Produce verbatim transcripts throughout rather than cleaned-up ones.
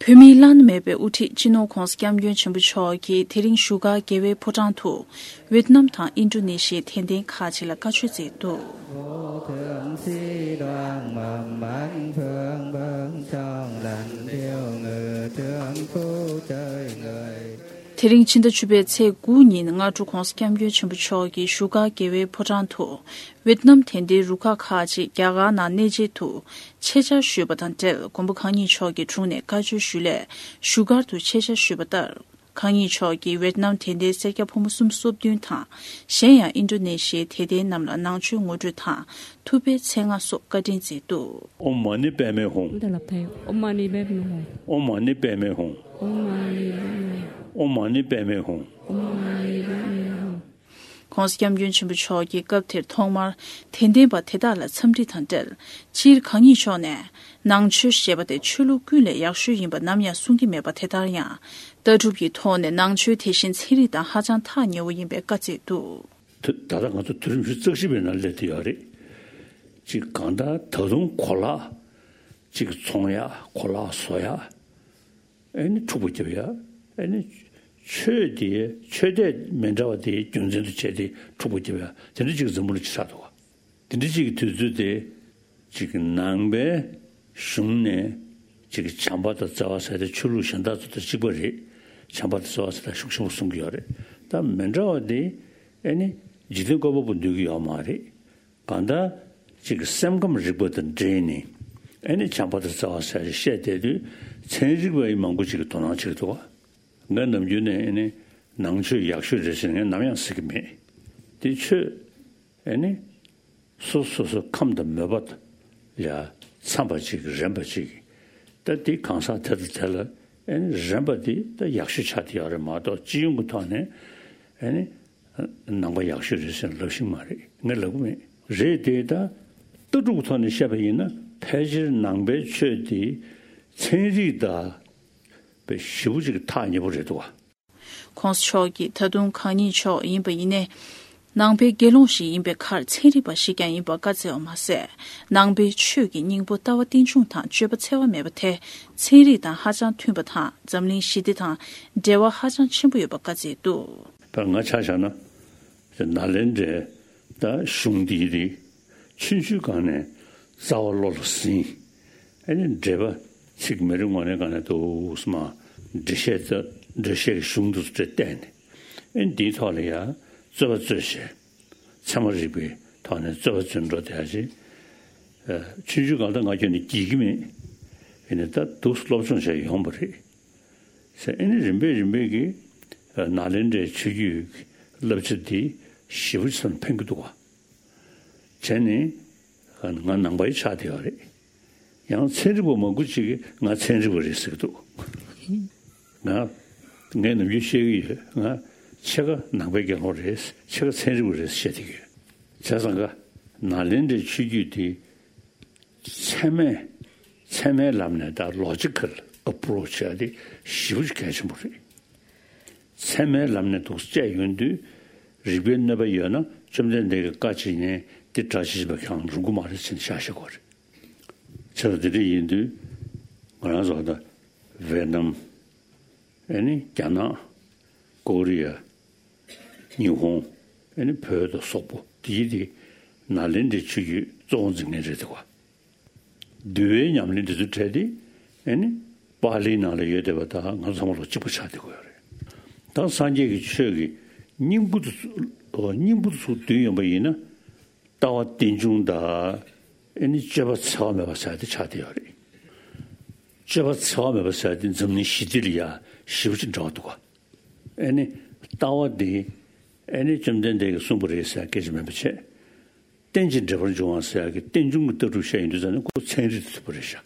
བོད་མིའི་བླ་ན་མེད་པའི་དབུ་ཁྲིད་སྤྱི་ནོར་༧གོང་ས་༧སྐྱབས་མགོན་ཆེན་པོ་མཆོག་གིས་དེ་རིང་བཞུགས་སྒར་རྒྱལ་བའི་ཕོ་བྲང་དུ་ཝེད་ནམ་དང་ཨིན་ཌོ་ནེ་ཤི་ཡའི་དད་ལྡན་ཁག་ཅིག་ལ་བཀའ་ཆོས་མཛད་འདུག་དེ་རིང་ཕྱི་ཟླ་བཅུ་པའི་ཚེས་དགུ་ཉིན་སྔ་དྲོ་༧གོང་ས་༧སྐྱབས་མགོན་ཆེན་པོ་མཆོག་གིས་བཞུགས་སྒར་རྒྱལ་བའི་ཕོ་བྲང་དུ་ཝེད་ནམ་དད་ལྡན་རུ་ཁག་ཁག་ཅིག་རྒྱ་གར་ནང་གནས་མཇལ་དུ་ཆེད་བཅར་ཞུས་པ་དང་འབྲེལ། མགོན་པོ་གང་ཉིད་མཆོག་གི་དྲུང་ནས་བཀའ་ཆོས་ཞུས་ལས་བཞུགས་སྒར་དུ་ཆེད་བཅར་ཞུས་པ་ལྟར། གང་ཉིད་མཆོག་གིས་ཝེད་ནམ་དད་ལྡན་སེར་སྐྱ་ཕོ་མོ་སུམ་ཅུ་སོ་བདུན་དང་། གཞན་ཡང་ཨིན་ཌོ་ནེ་ཤི་ཡའི་དད་ལྡན་རྣམས་ལ་ནང་ཆོས་ངོ་སྤྲོད་དང་ཐུབ་པའི་ཚེ་སྔ་སོགས་བཀའ་དྲིན་མཛད་འདུག་ཨོཾ་མ་ཎི་པདྨེ་ཧཱུྃ། ཨོཾ་མ་ཎི་པདྨེ་ཧཱུྃ། ཨོཾ་མ་ཎི་པདྨེ་ཧཱུྃ། ཨོཾ་མ་ཎི་པདྨེ་ཧཱུྃ། ཨོཾ་མ་ཎི་པདྨེ་ཧཱུྃ། ཨོཾ་མ་ཎི་པདྨེ་ཧཱུྃ། ༸གོང་ས་༸སྐྱབས་མགོན་ཆེན་པོ་མཆོག་གིས་སྐབས་དེར་ཐོག་མར་དད་ལྡན་པ་དེ་དག་ལ་འཚམས་འདྲི་དང་འབྲེལ། སྤྱིར་གང་ཉིད་མཆོག་ནས་ནང་ཆོས་ཞེས་པ་དེ་ཆོས་ལུགས་ཀུན་ལས་ཡག་ཤོས་ཡིན་པ་ནམ་ཡང་གསུང་གི་མེད་པ། དེ་ལྟར་ཡང་ལྟ་གྲུབ་ཀྱི་ཐོག་ནས་ནང་ཆོས་དེ་བཞིན་ཚན་རིག་དང་ཧ་ཅང་ཐག་ཉེ་བོ་ཡིན་པའི་བཀའ་བསྩལ་འདུག་ད་ད་ལྟ་ང་ཚོ་དུས་རིམ་བཞི་རྩ་བཞི་པའི་ནང་སླེབས་བསྡད་ཡོད་རེད། ཅིག་གང་ལྟར་ད་དུང་གོ་ལག་ཅིག་ཚོང་ཡག་གོ་ལག་བཟོ་ཡག་ཨེ་ནི་འཁྲུག་པ་རྒྱབ་ཡ། ཨེ་ནི་ཆོས་དེ་ཆོས་དད་མི་འདྲ་བ་དེ་རྒྱུ་མཚན་དུ་བྱས་ཏེ་འཁྲུག་པ་རྒྱབ་ཡ། དེ་འདྲ་ཅིག་འཛམ་བུ་གླིང་ཆགས་འདུག་བ། དེ་འདྲ་ཅིག་གི་དུས་ཚོད་དེ་ཅིག་ནང་པའི་གཞུང་ནས་ཅིག་བྱམས་པ་དང་བརྩེ་བ་ཟེར་ཏེ་ཆོས་ལུགས་གཞན་དག་ཚོ་དང་གཅིག་པ་རེད། བྱམས་པ་དང་བརྩེ་བ་ཟེར་ཏེ་ཤུགས་ཆེན་པོ་གསུང་གི་ཡོད་རེད། ད་མི་འདྲ་བ་དེ་ཨེ་ནི་འཇིག་རྟེན་བཀོད་པ་པོ་འདོད་ཀྱི་ཡོད་མ་རེད། གང་ལྟར་ཅིག་སེམས་ཁམས་རིག་པ་དང་འབྲེལ་ནས་ཨེ་ནི་བྱམས་པ་དང་བརྩེ་བ་ཟེར་བཤད་བསྡད་དུས་ཚན་རིག་པ་ཡི་མང་པོ་ཅིག་གིས་དོ་སྣང་བྱེད་ཀྱི་འདུག་བ། ང་ནམ་རྒྱུན་ནས་ཨེ་ནི་ནང་ཆོས་ཡག་ཤོས་རེད་ཟེར་ནས་ངས་ནམ་ཡང་ཟེར་གྱི་མེད། དེ་ཆོས་ཨེ་ནི་སོ་སོ་སོ་ཁམས་དང་མོས་པ་ལ་འཚམ་པ་ཅིག་རན་པ་ཅིག་ད་དེ་གང་ཟག་དེ་དང་དེ་ལ་ཨེ་ནི་རན་པ་དེ་ད་ཡག་ཤོས་ཆགས་བསྡད་ཡོད་རེད་མ་གཏོགས་སྤྱི་ཡོངས་ཀྱི་ཐོག་ནས་ཨེ་ནི། ནང་པ་ཡག་ཤོས་རེད་ཟེར་ལབ་ཤེས་མ་རེད། ངས་ལབ་གི་མེད། རེད་དེ་ད་ལྟ་གྲུབ་ཀྱི་ཐོག་ནས་བཤད་པ་ཡིན་ན་ཕལ་ཆེར་ནང་པའི་ཆོས་དེ་ཚན་རིག་དང་དཔེ་ཞེ་པོ་ཅིག་ཐག་ཉེ་པོ་རེད་འདུག་བ། ༸གོང་ས་མཆོག་གིས་ད་དུང་གང་ཉིད་མཆོག་ཡིན་པ་ཡིན་ནའི། ནང་པའི་དགེ་སློང་ཞིག་ཡིན་པའི་ཁར་ཚན་རིག་པ་ཞིག་ཀྱང་ཡིན་པ་བཀའ་སྩལ་བ་མ་ཟད། ནང་པའི་ཆོས་ཀྱི་སྙིང་པོ་ལྟ་བ་རྟེན་འབྱུང་དང་སྤྱོད་པ་འཚེ་བ་མེད་པ་དེ་ཚན་རིག་དང་ཧ་ཅང་མཐུན་པ་དང་འཛམ་གླིང་ཞི་བདེ་དང་འབྲེལ་བ་ཧ་ཅང་ཆེན་པོ་ཡོད་པ་བཀའ་སྩལ་འདུག་ད་ང་ཆ་བཞག་ན། ནཱ་ལེནྡྲའི་ད་གཞུང་འདིའི་རིགས་ཆུང་ཆུང་སྒང་ནས་རྩ་བ་བློ་ལ་ཟིན། ཨེ་ནི་འགྲེལ་པ་ཚིག་མི་རེ་ངོ་ནས་སྒང་ནས་འདུག་སེ་མར་འགྲེལ་བཤད་ད་འགྲེལ་བཤད་ཀྱི་གཞུང་འདི་ཚོ་བལྟས་ནས། ཨེ་ནི་འདིའི་ཐོག་ལ་ཡང་རྩོད་པ་རྩོད་བྱས། ཚད་མ་རིག་པའི་ཐོག་ནས་རྩོད་པ་རྩོད་འགྲོ་བསྡད་ཡ་ཅིག་ཆུང་ཆུང་སྒང་ད་ང་ཁྱོན་ནས་འགྲིག་གི་མེད། ཡིན་ནའི་ད་འདུག་སེ་སློབ་སྦྱོང་བྱས་ཡོང་བ་རེད། ཟེར་ཨེ་ནི་རིམ་པས་རིམ་པས་ཀྱིས་ནཱ་ལེནྡྲའི་ཆོས་བརྒྱུད་ཀྱི་བསླབ་བྱ་འདི་ཞེ་པོ་ཅིག་ཕན་གྱི་འདུག་བ། བྱས་ནས་ང་ནང་པ་ཡི་ཆགས་བསྡད་ཡོད་རེད། ཡང་ཚན་རིག་པ་མང་པོ་ཅིག་གིས་ང་ཚན་རིག་པ་རེད་ཟེར་གྱི་འདུག་ང་ངས་ནམ་རྒྱུན་བཤད་ཀྱི་ཡོད། ང་ཕྱེད་ཀ་ནང་པའི་དགེ་སློང་རེད། ཕྱེད་ཀ་ཚན་རིག་པ་རེད་ཟེར་བཤད་བསྡད་ཀྱི་ཡོད། བྱས་ཙང་ཀ་ནཱ་ལེནྡྲའི་ཆོས་བརྒྱུད་དེ། ཚད་མས་ཚད་མའི་ལམ་ནས་ད་ལོ་ཇི་ཀལ་ཨེ་པོ་རོ་ཆི་བྱ་དེ་ཞེ་པོ་ཅིག་གལ་ཆེན་པོ་རེད། ཚད་མའི་ལམ་ནས་འདུག་སེ་དཔྱད་ཡོང་དུས་རིགས་པའི་གནོད་པ་ཡོད་ན་བཅོམ་ལྡན་འདས་ཀྱིས་བཀའ་བྱེད་ཉན་དེ་དགྲ་བྱེད་བྱེད་པ་གང་རུང་གི་མ་རེད་ཟེར་ནས་བཤད་བཞག་གི་རེད། བྱས་ཙང་དེ་འདྲ་ཡིན་དུས་ང་རང་ཚོ་ད་ཝེ་ནམ། ཨེ་ནི་རྒྱ་ནག་ཀོ་རི་ཡ། ཉི་ཧོང་། ཨེ་ནི་བོད་དང་སོག་པོ་དེ་ཡི་དེ་ནཱ་ལེནྡྲའི་ཆོས་བརྒྱུད་གཙོ་བོ་འཛིན་མཁན་རེད་འདུག་བ། འདུལ་བའི་ཉམས་ལེན་དེ་ཚོ་གྲས་དེ་ཨེ་ནི་པཱ་ལིའི་ནང་ལ་ཡོད་བསྡད་པ་དང་ང་ཚང་མ་ལོ་གཅིག་པ་ཆགས་བསྡད་ཀྱི་ཡོད་རེད། ད་སངས་རྒྱས་ཀྱི་ཆོས་ཀྱི་སྙིང་པོ་དེ་ཚོ་སྙིང་པོ་དེ་ཚོ་བསྡུས་ཡོང་པ་ཡིན་ན། ལྟ་བ་རྟེན་འབྱུང་དང་ཨེ་ནི་སྤྱོད་པ་འཚེ་བ་མེད་པ་ཟེར་དེ་ཆགས་བསྡད་ཡོད་རེད། སྤྱོད་པ་འཚེ་བ་མེད་པ་ཟེར་དེ་འཛམ་གླིང་ཞི་བདེ་ལ་ཡ་ཞེ་པོ་ཅིག་འབྲེལ་བ་འདུག་ག་ཨེ་ནི་ལྟ་བ་འདི་ཨེ་ནི་བཅོམ་ལྡན་འདས་ཀྱིས་གསུངས་པ་རེད་ཟེར་སྐད་ཆ་མིན་པ་བྱས། རྟེན་ཅིང་འབྲེལ་པར་འབྱུང་བ་ཟེར་ཡག་གི་རྟེན་འབྱུང་གི་ལྟ་གྲུབ་བཤད་ཡོང་དུས་ཙམ་ནས་ཁོ་ཚན་རིག་དང་མཐུན་པ་རེད་ཤག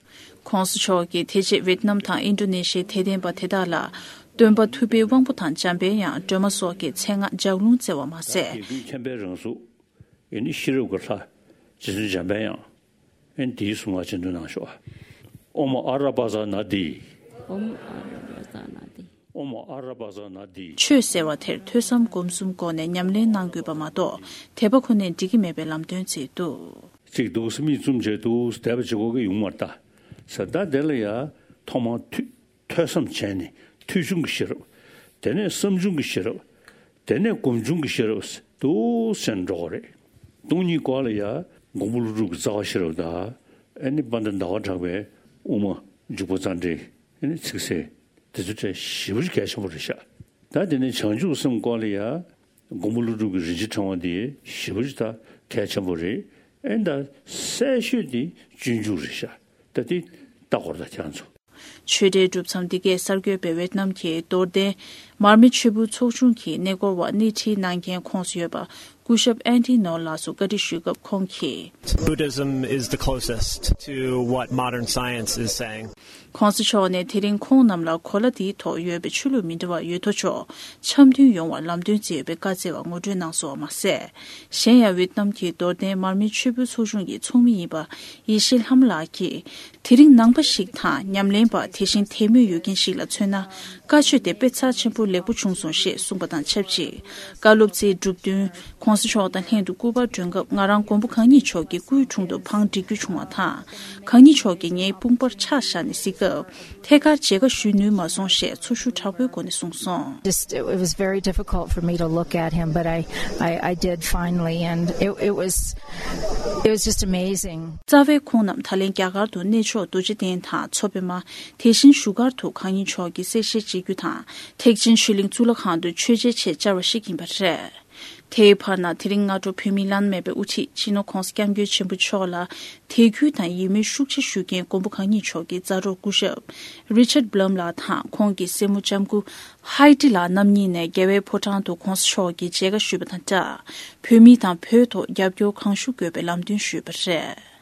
༸གོང་ས་མཆོག་གིས་དེ་རྗེས་ཝེད་ནམ་དང་ཨིན་ཌོ་ནེ་ཤི་ཡའི་དད་ལྡན་པ་དེ་དག་ལ་སྟོན་པ་ཐུབ་པའི་དབང་པོ་དང་འཇམ་དཔལ་དབྱངས་སྒྲོལ་མ་སོགས་ཀྱི་མཚན་སྔགས་ལྗགས་ལུང་བསྩལ་བ་མ་ཟད། དགེ་འདུན་མཁྱེན་པའི་རང་གཟུགས། ཡེ་ནས་ཤེས་རབ་ཀྱི་ལྷ། རྗེ་བཙུན་འཇམ་དཔལ་དབྱངས། ཨེ་ནི་དེའི་གཟུངས་སྔགས་སྤྱི་འདོན་གནང་ཤོག་ཨོཾ་ཨ་ར་པ་ཙ་ན་དྷཱིཿ་ཨོཾ་ཨ་ར་པ་ཙ་ན་དྷཱིཿ་ཨོཾ་ཨ་ར་པ་ཙ་ན་དྷཱིཿ་ཆོས་ཟེར་བ་དེར་ཐོས་བསམ་སྒོམ་གསུམ་སྒོ་ནས་ཉམས་ལེན་གནང་དགོས་པ་མ་གཏོགས་དད་པ་ཁོ་ནས་འགྲིག་གི་མེད་པའི་ལམ་སྟོན་བྱས་འདུག་གཅིག་འདུག་སེ་མིག་བཙུམ་བྱས་འདུག་སེ་དད་པ་བྱེད་དགོས་ཀྱི་ཡོང་མ་རེད་ད། ཟེར་ད་དེ་ལ་ཡ་ཐོག་མར་ཐུགས་ ཐོས་བསམ་བྱས་ནས་ཐོས་བྱུང་གི་ཤེས་རབ། དེ་ནས་བསམ་བྱུང་གི་ཤེས་རབ། དེ་ནས་སྒོམ་བྱུང་གི་ཤེས་རབ་འདུག་སེ་འགྲོ་གི་རེད། སྟོང་ཉིད་སྐོར་ལ་ཡ་མགོན་པོ་ཀླུ་སྒྲུབ་ཀྱི་རྩ་བ་ཤེས་རབ་དང་། ཨ་ནི་དཔལ་ལྡན་ཟླ་བ་གྲགས་པའི་དབུ་མ་འཇུག་པ་རྩ་འགྲེལ། ཨ་ནི་ཚིག་གསལ། དེ་ཚོ་ཏྲ་ཞེ་པོ་ཅིག་གལ་ཆེན་པོ་རེད་ཤག་ད་དེ་ནས་བྱང་ཆུབ་སེམས་སྐོར་ལ་ཡ་མགོན་པོ་ཀླུ་སྒྲུབ་ཀྱི་རིན་ཆེན་ཕྲེང་བ་འདི་ཞེ་པོ་ཅིག་ད་གལ་ཆེན་པོ་རེད། ཨེ་ད་གསལ་ཤོས་དེ་སྤྱོད་འཇུག་རེད་ཤག་ད་དེ་ལྟ་དགོས་རེད་ད་ཁྱེད་ཚོ། ཆོས་འབྲེལ་གྲུབ་མཚམས་འདི་གའི་གསར་འགོད་པས་ཝེ་ཏི་ནམ་གྱི་རྡོར་གདན་མར་མེ་ཆོས་ཕུང་ཚོགས་ཆུང་གི་གནས་སྐོར་བར་སྣེ་ཁྲིད་གནང་མཁན་ཁོངས་སུ་ཡོད་པ་སྐུ་ཞབས་ཨན་ཏི་ནོ་ལགས་སུ་བཀའ་འདྲི་ཞུས་སྐབས་ཁོང་གིས། Buddhism is the closest to what modern science is saying. ༸གོང་ས་མཆོག་ནས་དེ་རིང་ཁོང་རྣམས་ལ་གོ་ལ་འདིའི་ཐོག་ཡོད་པའི་ཆོས་ལུགས་མི་འདྲ་བ་ཡོད་དོ་ཅོག་འཆམ་མཐུན་ཡོང་བར་ལམ་སྟོན་མཛད་ཡོད་པའི་བཀའ་སྩལ་བ་ངོ་སྤྲོད་གནང་སོང་བ་མ་ཟད། གཞན་ཡང་ཝེ་ཏི་ནམ་གྱི་རྡོར་གདན་མར་མེ་ཆོས་ཕུང་ཚོགས་ཆུང་གི་ཚོགས་མི་ཡིན་པ་ཡེ་ཤེས་ལྷ་མོ་ལགས་ཀྱིས། དེ་རིང་ནང་པ་ཞིག་དང་ཉམས་ལེན་པ། དེ་བཞིན་དད་མོས་ཡོད་མཁན་ཞིག་ལ་མཚོན་ན། བཀའ་ཆོས་དེ་དཔེ་རྩ་ཆེན་པོ་ལེགས་པོ་བྱུང་སོང་ཞེས་གསུངས་པ་དང་ཆབས་ཅིག་བཀའ་སློབ་སྩལ་གྲུབ་བསྟུན་༸གོང་ས་མཆོག་དང་ལྷན་དུ་སྐུ་པར་སྒྲོན་སྐབས། ང་རང་མགོན་པོ་གང་ཉིད་མཆོག་གི་སྐུའི་དྲུང་དུ་བང་སྒྲིག་རྒྱུ་བྱུང་བ་དང་། གང་ཉིད་མཆོག་གིས་ངའི་དཔུང་པར་ཕྱག་བཞག་ནས་གཟིགས་སྐབས། ཐད་ཀར་མཇལ་ཁ་ཞུ་ནུས་མ་སོང་ཞེས་ཚོར་ཤུགས་དྲག་པོའི་སྒོ་ནས་གསུངས་སོང་། Just, it was very difficult for me to look at him, but I, I, I did finally, and it, it was, it was just amazing. རྩ་བའི་ཁོང་རྣམས་ད་ལན་རྒྱ་གར་དུ་གནས་མཆོག་རྡོ་རྗེ་གདན་དང་མཚོ་པདྨ། དེ་བཞིན་བཞུགས་སྒར་དུ་གང་ཉིད་མཆོག་གི་གསལ་བཤད་བྱེད་རྒྱུ་དང་། ཐེག་ཆེན་ཆོས་གླིང་གཙུག་ལག་ཁང་དུ་མཆོད་མཇལ་ཆེད་བཅར་བ་ཞིག་ཡིན་པ་རེད། དེའི་བར་ན་དེ་རིང་སྔ་དྲོ་བོད་མིའི་བླ་ན་མེད་པའི་དབུ་ཁྲིད་སྤྱི་ནོར་༸གོང་ས་༸སྐྱབས་མགོན་ཆེན་པོ་མཆོག་ལ་དད་གུས་དང་ཡིད་སྨོན་ཤུགས་ཆེ་ཞུ་མཁན་མགོན་པོ་གང་ཉིད་མཆོག་གི་མཛའ་གྲོགས་སྐུ་ཞབས་Richard Blum་ལགས་དང་ཁོང་གི་སྲས་མོ་ལྕམ་སྐུ་Heidi་ལགས་རྣམ་གཉིས་ནས་རྒྱལ་བའི་ཕོ་བྲང་དུ་༸གོང་ས་མཆོག་གི་མཇལ་ཁ་ཞུས་པ་དང་སྦྲགས། བོད་མི་དང་བོད་ཐོག་རྒྱབ་སྐྱོར་གང་ཤུགས་དགོས་པའི་ལམ་སྟོན་ཞུས་པ་རེད།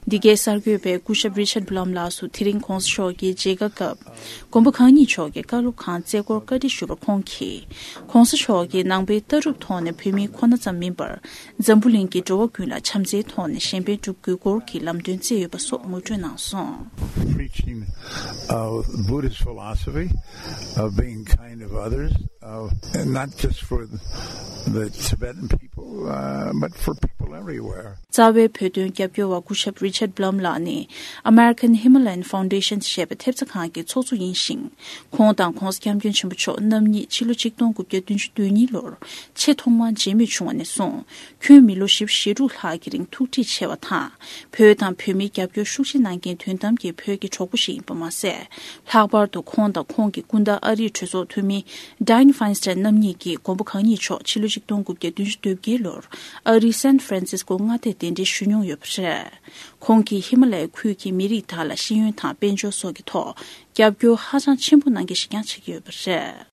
འདི་གའི་གསར་འགོད་པས་སྐུ་ཞབས་Richard Blum་ལགས་སུ་དེ་རིང་༸གོང་ས་མཆོག་གི་མཇལ་ཁ་སྐབས་མགོན་པོ་གང་ཉིད་མཆོག་གི་བཀའ་སློབ་ཁང་རྩེ་སྐོར་བཀའ་འདྲི་ཞུས་པར་ཁོང་གིས། ༸གོང་ས་མཆོག་གིས་ནང་པའི་ལྟ་གྲུབ་ཐོག་ནས་བོད་མི་ཁོ་ན་ཙམ་མིན་པར། འཛམ་བུ་གླིང་གི་འགྲོ་བ་ཀུན་ལ་བྱམས་བརྩེའི་ཐོག་ནས་གཞན་ཕན་སྒྲུབ་དགོས་སྐོར་གྱི་ལམ་སྟོན་བསྩལ་ཡོད་པ་སོགས་ངོ་སྤྲོད་གནང་སོང་། Preaching of Buddhist philosophy of being kind of others, uh, and not just for the Tibetan people, uh, but for people everywhere. རྩ་བའི་བོད་དོན་རྒྱབ་སྐྱོར་བ་སྐུ་ཞབས་Richard Blum་ལགས་ནི་American Himalayan Foundation་ཞེས་པའི་ཐེབས་རྩ་ཁང་གི་ཚོགས་གཙོ་ཡིན་ཞིང་། ཁོང་དང་༸གོང་ས་༸སྐྱབས་མགོན་ཆེན་པོ་མཆོག་རྣམ་གཉིས་ཕྱི་ལོ་ཆིག་སྟོང་དགུ་བརྒྱ་བདུན་ཅུ་དོན་གཉིས་ལོར་ཆེས་ཐོག་མར་མཇལ་མོལ་བྱུང་བ་ནས་བཟུང་། ཁྱོན་མི་ལོ་བཞི་བཅུ་ཞེ་དྲུག་ལྷག་གི་རིང་ཐུགས་འདྲིས་ཆེ་བ་དང་། བོད་དང་བོད་མིའི་རྒྱབ་སྐྱོར་ཤུགས་ཆེ་གནང་མཁན་དོན་དམ་གྱི་བོད་ཀྱི་གྲོགས་པོ་ཞིག་ཡིན་པ་མ་ཟད། ལྷག་པར་དུ་ཁོང་དང་ཁོང་གི་སྐུ་ཟླ་ཨ་རིའི་གྲོས་ཚོགས་འཐུས་མི་Dianne Feinstein་རྣམ་གཉིས་ཀྱིས་མགོན་པོ་གང་ཉིད་མཆོག་ཕྱི་ལོ་ཆིག་སྟོང་དགུ་བརྒྱ་བདུན་ཅུ་དོན་བརྒྱད་ལོར་ཨ་རིའི་San Francisco་མངའ་སྡེར་གདན་འདྲེན་ཞུ་མྱོང་ཡོད་པ་རེད། ཁོང་གིས་ཧི་མ་ལ་ཡའི་ཁུལ་གྱི་མི་རིགས་དག་ལ་ཤེས་ཡོན་དང་དཔལ་འབྱོར་སོགས་ཀྱི་ཐོག་རྒྱབ་སྐྱོར་ཧ་ཅང་ཆེན་པོ་གནང་མཁན་ཞིག་ཀྱང་ཆགས་ཀྱི་ཡོད་པ་རེད།